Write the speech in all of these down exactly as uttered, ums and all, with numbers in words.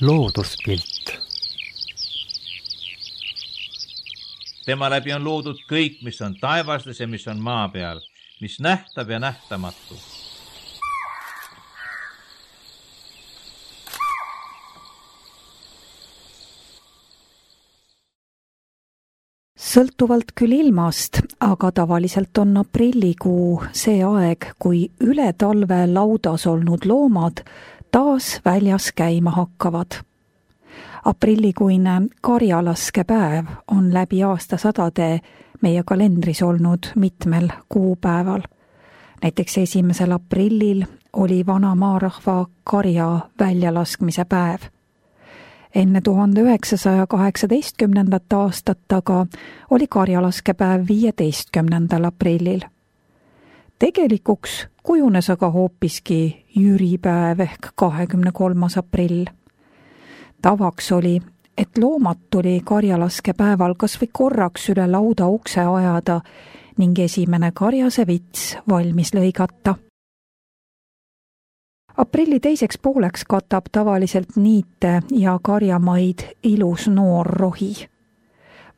looduspilt. Tema läbi on loodud kõik, mis on taevastes ja mis on maa peal, mis nähtav ja nähtamatu. Sõltuvalt küll ilmast, aga tavaliselt on aprillikuu see aeg, kui üle talve laudas olnud loomad taas väljas käima hakkavad. Aprillikuine karjalaskepäev on läbi aastasadade meie kalendris olnud mitmel kuupäeval. Näiteks esimesel aprillil oli vana maarahva karja väljalaskmise päev. Enne tuhande üheksasaja kaheksateistkümnendat aastat aga oli karjalaskepäev viieteistkümnendal aprillil. Tegelikuks kujunes aga hoopiski jüripäev ehk kahekümne kolmas aprill. Tavaks oli, et loomad tuli karjalaskepäeval kas või korraks üle lauda ukse ajada ning esimene karjase vits valmis lõigata. Aprilli teiseks pooleks katab tavaliselt niite ja karjamaid ilus noor rohi.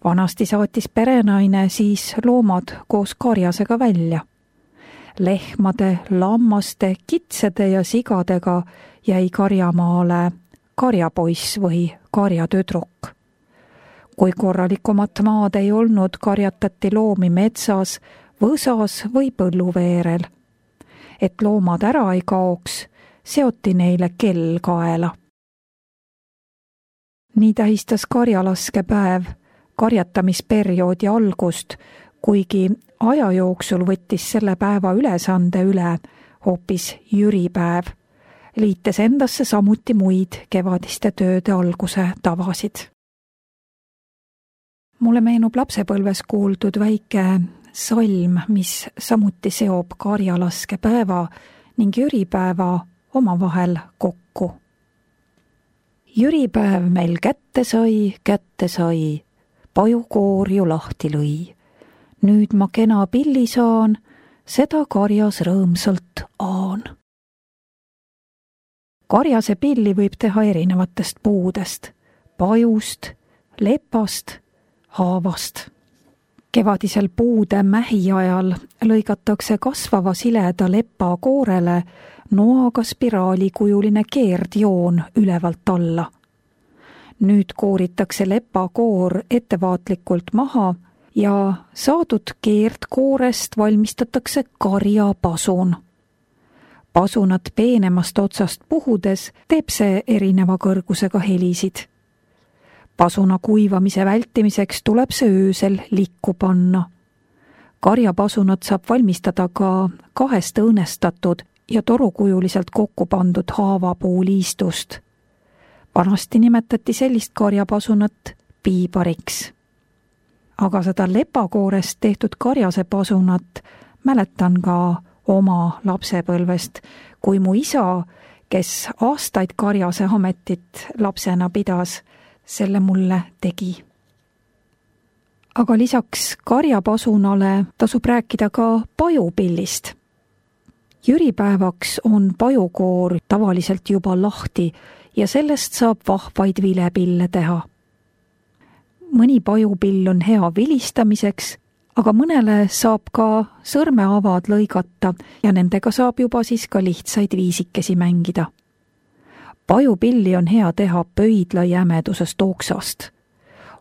Vanasti saatis perenaine siis loomad koos karjasega välja. Lehmade, lammaste, kitsede ja sigadega jäi karjamaale karjapoiss või karjatüdruk. Kui korralikumat maad ei olnud, karjatati loomi metsas, võsas või põlluveerel. Et loomad ära ei kaoks, seoti neile kell kaela. Nii tähistas karjalaskepäev karjatamisperioodi algust, kuigi aja jooksul võttis selle päeva ülesande üle hoopis jüripäev, liites endasse samuti muid kevadiste tööde alguse tavasid. Mulle meenub lapsepõlves kuuldud väike salm, mis samuti seob karjalaskepäeva ning jüripäeva omavahel kokku. Jüripäev meil kätte sai, kätte sai, pajukoor ju lahti lõi. Nüüd ma kena pilli saan, seda karjas rõõmsalt aan. Karjase pilli võib teha erinevatest puudest, pajust, lepast, haavast. Kevadisel puude mähi ajal lõigatakse kasvava sileda lepa koorele noaga spiraalikujuline keerdjoon ülevalt alla. Nüüd kooritakse lepakoor ettevaatlikult maha ja saadud keerdkoorest valmistatakse karjapasun. Pasunat peenemast otsast puhudes teeb see erineva kõrgusega helisid. Pasuna kuivamise vältimiseks tuleb see öösel likku panna. Karjapasunat saab valmistada ka kahest õõnestatud ja torukujuliselt kokku pandud haavapuuliistust. Vanasti nimetati sellist karjapasunat piibariks. Aga seda lepakoorest tehtud karjase pasunat mäletan ka oma lapsepõlvest, kui mu isa, kes aastaid karjase ametit lapsena pidas, selle mulle tegi. Aga lisaks karjapasunale tasub rääkida ka pajupillist. Jüripäevaks on pajukoor tavaliselt juba lahti ja sellest saab vahvaid vilepille teha. Mõni pajupill on hea vilistamiseks, aga mõnele saab ka sõrmeavad lõigata ja nendega saab juba siis ka lihtsaid viisikesi mängida. Pajupilli on hea teha pöidla jämedusest oksast.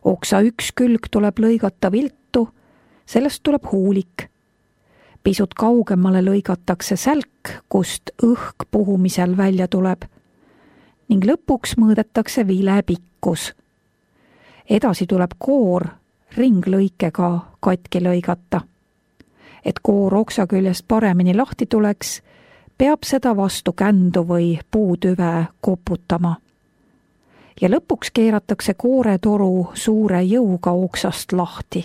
Oksa üks külg tuleb lõigata viltu, sellest tuleb huulik. Pisut kaugemale lõigatakse sälk, kust õhk puhumisel välja tuleb. Ning lõpuks mõõdetakse vile pikkus. Edasi tuleb koor ringlõikega katki lõigata. Et koor oksa küljest paremini lahti tuleks, peab seda vastu kändu või puutüve koputama. Ja lõpuks keeratakse kooretoru suure jõuga oksast lahti.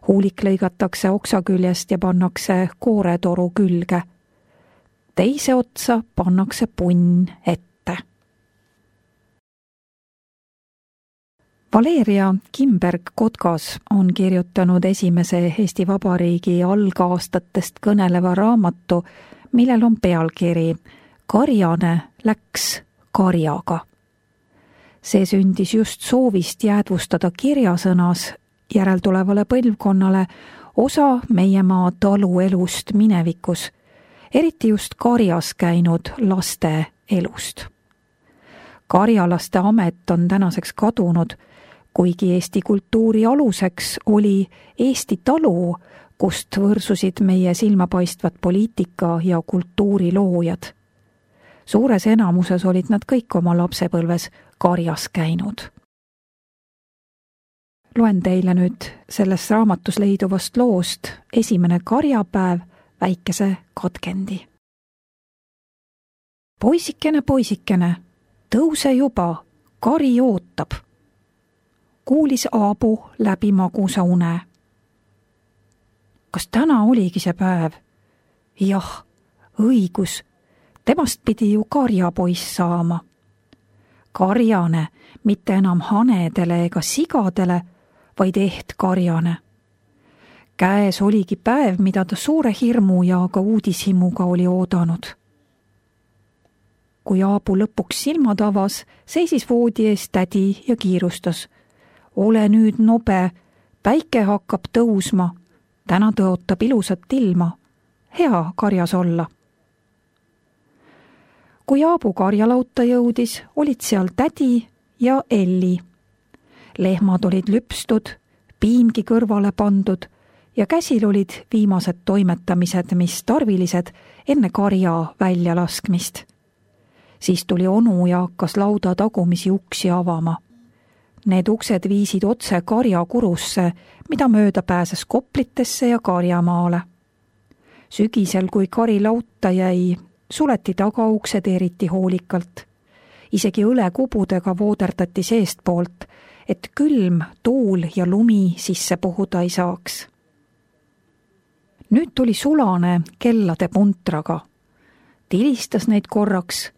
Huulik lõigatakse oksa küljest ja pannakse kooretoru külge. Teise otsa pannakse punn ette. Valeria Kimberg-Kotkas on kirjutanud esimese Eesti Vabariigi algaastatest kõneleva raamatu, millel on pealkiri Karjane läks karjaga. See sündis just soovist jäädvustada kirjasõnas järeltulevale põlvkonnale osa meie maa taluelust minevikus, eriti just karjas käinud laste elust. Karjalaste amet on tänaseks kadunud, kuigi Eesti kultuuri aluseks oli Eesti talu, kust võrsusid meie silmapaistvad poliitika ja kultuuriloojad. Suures enamuses olid nad kõik oma lapsepõlves karjas käinud. Loen teile nüüd selles raamatus leiduvast loost esimene karjapäev väikese katkendi. Poisikene, poisikene, tõuse juba, kari ootab. Kuulis Aabu läbi magusa une. Kas täna oligi see päev? Jah, õigus. Temast pidi ju karjapoiss saama. Karjane, mitte enam hanedele ega sigadele, vaid eht karjane. Käes oligi päev, mida ta suure hirmu ja ka uudishimuga oli oodanud. Kui Aabu lõpuks silmad avas, seisis voodi ees tädi ja kiirustas. Ole nüüd nobe, päike hakkab tõusma. Täna tõotab ilusat ilma. Hea karjas olla. Kui Aabu karjalauta jõudis, olid seal tädi ja Elli. Lehmad olid lüpstud, piimgi kõrvale pandud ja käsil olid viimased toimetamised, mis tarvilised enne karja välja laskmist. Siis tuli onu ja hakkas lauda tagumisi uksi avama. Need uksed viisid otse karja kurusse, mida mööda pääses Koplitesse ja Karjamaale. Sügisel, kui kari lauta jäi, suleti tagauksed eriti hoolikalt. Isegi õlekubudega vooderdati seestpoolt, et külm, tuul ja lumi sisse puhuda ei saaks. Nüüd tuli sulane kellade puntraga. Tilistas neid korraks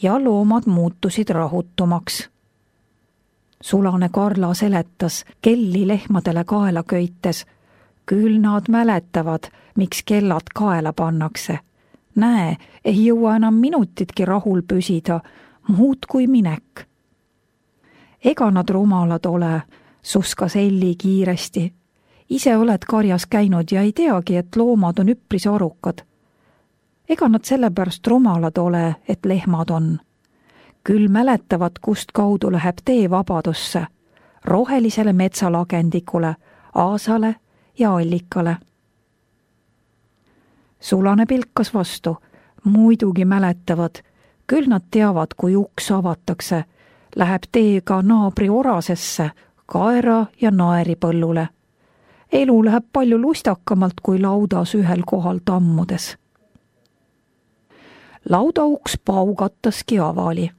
ja loomad muutusid rahutumaks. Sulane Karla seletas kelli lehmadele kaela köites. Küll nad mäletavad, miks kellad kaela pannakse. Näe, ei jõua enam minutitki rahul püsida, muud kui minek. Ega nad rumalad ole, suskas Elli kiiresti. Ise oled karjas käinud ja ei teagi, et loomad on üpris arukad. Ega nad sellepärast rumalad ole, et lehmad on. Küll mäletavad, kust kaudu läheb tee vabadusse, rohelisele metsalagendikule, aasale ja allikale. Sulane pilkas vastu, muidugi mäletavad, küll nad teavad, kui uks avatakse, läheb tee ka naabri orasesse, kaera ja naeri põllule. Elu läheb palju lustakamalt kui laudas ühel kohal tammudes. Laudauks paugattaski avali.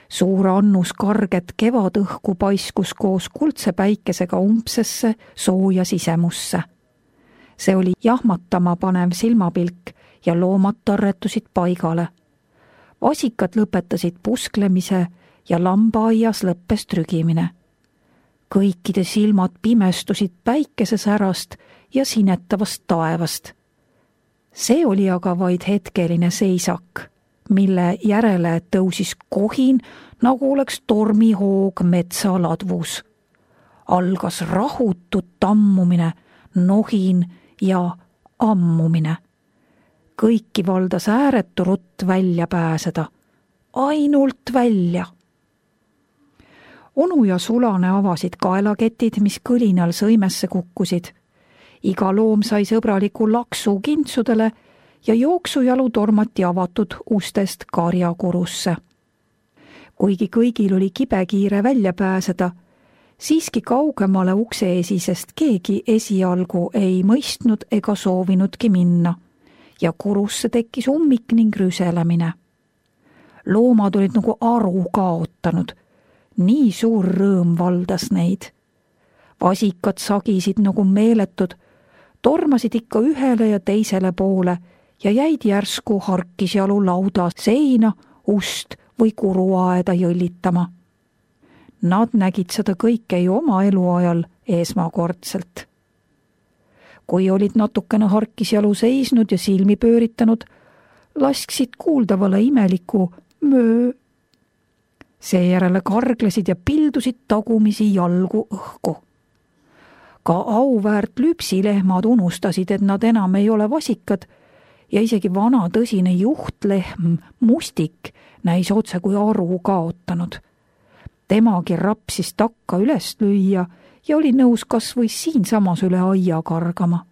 Suur annus karget kevadõhku paiskus koos kuldse päikesega umbsesse sooja sisemusse. See oli jahmatama panev silmapilk ja loomad tarretusid paigale. Vasikad lõpetasid pusklemise ja lambaaias lõppes trügimine. Kõikide silmad pimestusid päikesesärast ja sinetavast taevast. See oli aga vaid hetkeline seisak, mille järele tõusis kohin, nagu oleks tormihoog metsaladvus. Algas rahutud tammumine, nohin ja ammumine. Kõiki valdas ääretu rutt välja pääseda. Ainult välja. Onu ja sulane avasid kaelaketid, mis kõlinal sõimesse kukkusid. Iga loom sai sõbraliku laksu kintsudele ja jooksujalu tormati avatud ustest karjakurusse. Kuigi kõigil oli kibekiire välja pääseda, siiski kaugemale ukse esisest keegi esialgu ei mõistnud ega soovinudki minna ja kurusse tekkis ummik ning rüselemine. Loomad olid nagu aru kaotanud, nii suur rõõm valdas neid. Vasikad sagisid nagu meeletud, tormasid ikka ühele ja teisele poole ja jäid järsku harkisjalu lauda seina, ust või kuruaeda jõllitama. Nad nägid seda kõike ju oma eluajal esmakordselt. Kui olid natukene harkisjalu seisnud ja silmi pööritanud, lasksid kuuldavale imeliku möö. Seejärele karglesid ja pildusid tagumisi jalgu õhku. Ka auväärt lüpsilehmad unustasid, et nad enam ei ole vasikad ja isegi vana tõsine juhtlehm Mustik näis otse kui aru kaotanud. Temagi rapsis takka üles lüüa ja oli nõus kas või siinsamas üle aia kargama.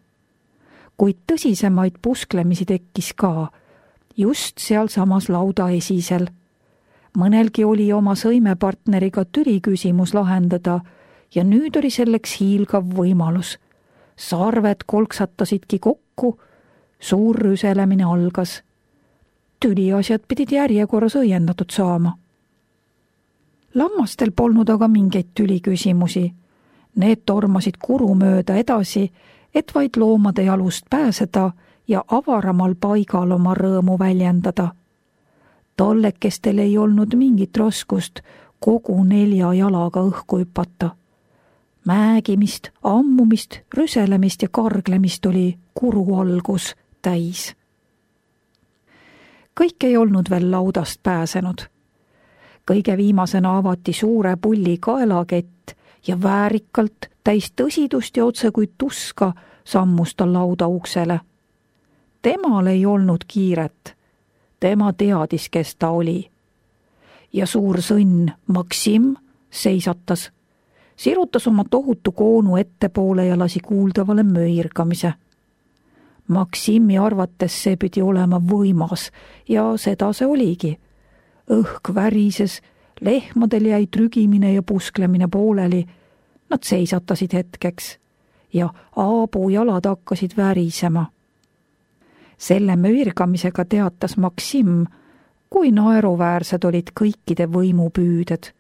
Kuid tõsisemaid pusklemisi tekkis ka, just seal samas lauda esisel. Mõnelgi oli oma sõimepartneriga tüli küsimus lahendada ja nüüd oli selleks hiilgav võimalus. Sarved kolksatasidki kokku, suur rüselemine algas. Tüliasjad pidid järjekorras õiendatud saama. Lammastel polnud aga mingeid tüliküsimusi. Need tormasid kuru mööda edasi, et vaid loomade jalust pääseda ja avaramal paigal oma rõõmu väljendada. Tollekestel ei olnud mingit raskust kogu nelja jalaga õhku hüpata. Määgimist, ammumist, rüselemist ja karglemist oli kuru algus täis. Kõik ei olnud veel laudast pääsenud. Kõige viimasena avati suure pulli kaelakett ja väärikalt, täis tõsidust ja otse kui tuska sammus ta lauda uksele. Temal ei olnud kiiret. Tema teadis, kes ta oli. Ja suur sõnn Maksim seisatas, sirutas oma tohutu koonu ettepoole ja lasi kuuldavale möirgamise. Maksimi arvates see pidi olema võimas ja seda see oligi. Õhk värises, lehmadel jäi trügimine ja pusklemine pooleli. Nad seisatasid hetkeks ja Aabu jalad hakkasid värisema. Selle möirgamisega teatas Maksim, kui naeruväärsed olid kõikide võimupüüded.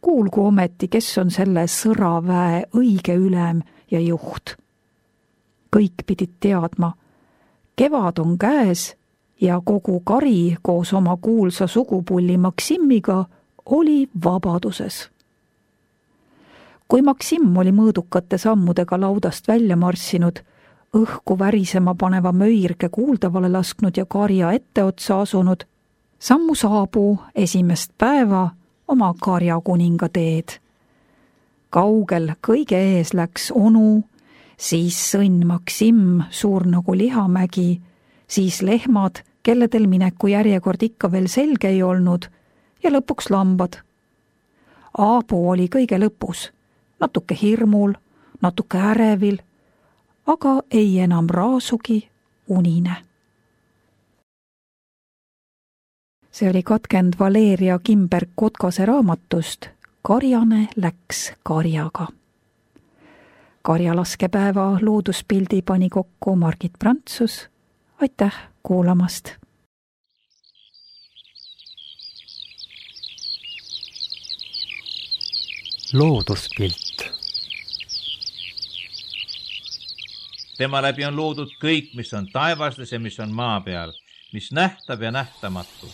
Kuulgu ometi, kes on selle sõraväe õige ülem ja juht. Kõik pidid teadma, kevad on käes ja kogu kari koos oma kuulsa sugupulli Maksimiga oli vabaduses. Kui Maksim oli mõõdukate sammudega laudast välja marssinud, õhku värisema paneva möirge kuuldavale lasknud ja karja etteotsa asunud, sammus Aabu esimest päeva oma karjakuninga teed. Kaugel kõige ees läks onu, siis sõnn Maksim, suur nagu lihamägi, siis lehmad, kelledel mineku järjekord ikka veel selge ei olnud, ja lõpuks lambad. Aabu oli kõige lõpus, natuke hirmul, natuke ärevil, aga ei enam raasugi unine. See oli katkend Valeria Kimberg-Kotkase raamatust Karjane läks karjaga. Karjalaskepäeva looduspildi pani kokku Margit Prantsus. Aitäh kuulamast! Looduspilt. Tema läbi on loodud kõik, mis on taevastes ja mis on maa peal, mis nähtav ja nähtamatu.